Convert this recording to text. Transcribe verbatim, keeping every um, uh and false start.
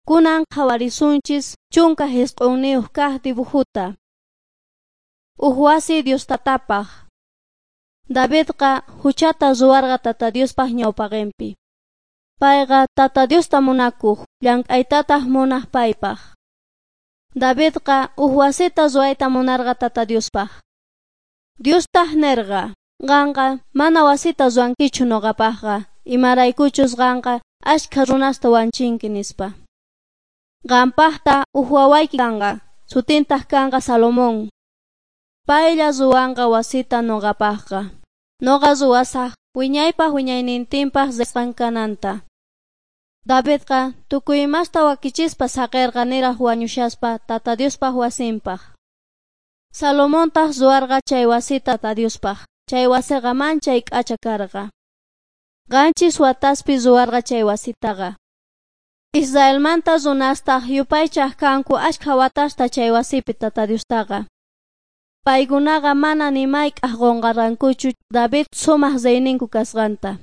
Kunan qhawarisunchis chunka jisq'unniyuq kaq dibujuta. Uj wasi Dios tatapaq. Davidqa huchata ruwarqa Tata Diospaq ñawpaqinpi. Payqa Tata Diosta munakuq, llank'aytataq munaq paypaq. Davidqa uj wasita ruwayta munarqa Tata Diospaq. Diostaq nerqa, qanqa mana wasita ruwankichu nuqapaqqa, imaraykuchus qanqa ashkha runasta wanchinki nispa. Qampaqta uj wawayki kanqa, sutintaq kanqa Salomón. Paylla ruwanqa wasita nuqapaqqa. Nuqa ruwasaq wiñaypaq wiñaynintinpaq risqan kananta. Davidqa tukuy imasta wakichispa saqirqa niraq wañushaspa Tata Diospaq wasinpaq. Salomontaq ruwarqa chay wasita Tata Diospaq. Chay wasiqa manchay k'acha karqa. Qanchis wataspi ruwarqa chay wasitaqa. Israelmanta runastaq yupaychaq kanku ashkha watasta chay wasipi Tata Diostaqa. Paykunaqa mana ni mayk'aj qunqarqankuchu David sumaq reyninku kasqanta.